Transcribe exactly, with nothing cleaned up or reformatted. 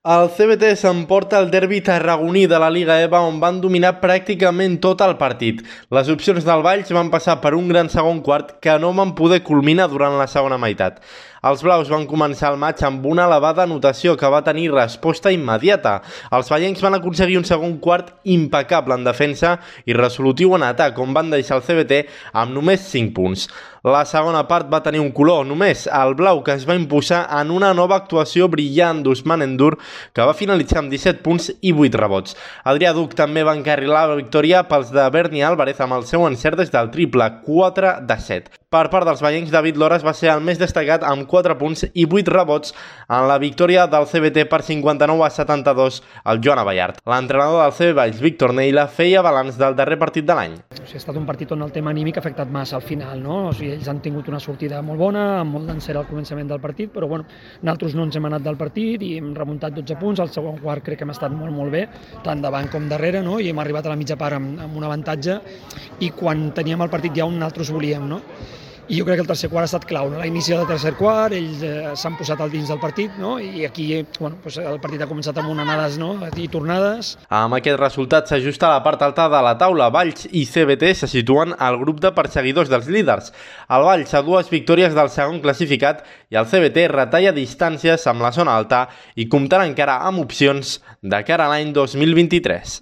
El C B T s'emporta el derbi tarragoní de la Liga EVA on van dominar pràcticament tot el partit. Les opcions del Valls van passar per un gran segon quart que no van poder culminar durant la segona meitat. Els blaus van començar el maig amb una elevada anotació que va tenir resposta immediata. Els vallencs van aconseguir un segon quart impecable en defensa i resolutiu en atac, on van deixar el C B T amb només cinc punts. La segona part va tenir un color, només el blau, que es va imposar en una nova actuació brillant d'Ousmane N'Dour, que va finalitzar amb disset punts i vuit rebots. Adrià Duc també va encarrilar la victòria pels de Berni Álvarez amb el seu encert des del triple, quatre de set. Per part dels vallencs, David Loras va ser el més destacat amb quatre punts i vuit rebots en la victòria del C B T per cinquanta-nou a setanta-dos al Joan Abellart. L'entrenador del C B Valls, Víctor Neila, feia balanç del darrer partit de l'any. O sigui, ha estat un partit on el tema anímic ha afectat massa al final, no? O sigui, ells han tingut una sortida molt bona, amb molt d'encert al començament del partit, però bueno, nosaltres no ens hem anat del partit i hem remuntat dotze punts. Al segon quart crec que hem estat molt, molt bé, tant davant com darrere, no? I hem arribat a la mitja part amb, amb un avantatge i quan teníem el partit ja on nosaltres volíem, no? I jo crec que el tercer quart ha estat clau, no? A l'inici del tercer quart ells eh, s'han posat al dins del partit, no? I aquí bueno, doncs el partit ha començat amb unes anades, no? I tornades. Amb aquest resultat s'ajusta a la part alta de la taula. Valls i C B T se situen al grup de perseguidors dels líders. El Valls a dues victòries del segon classificat i el C B T retalla distàncies amb la zona alta i comptarà encara amb opcions de cara a l'any dos mil vint-i-tres.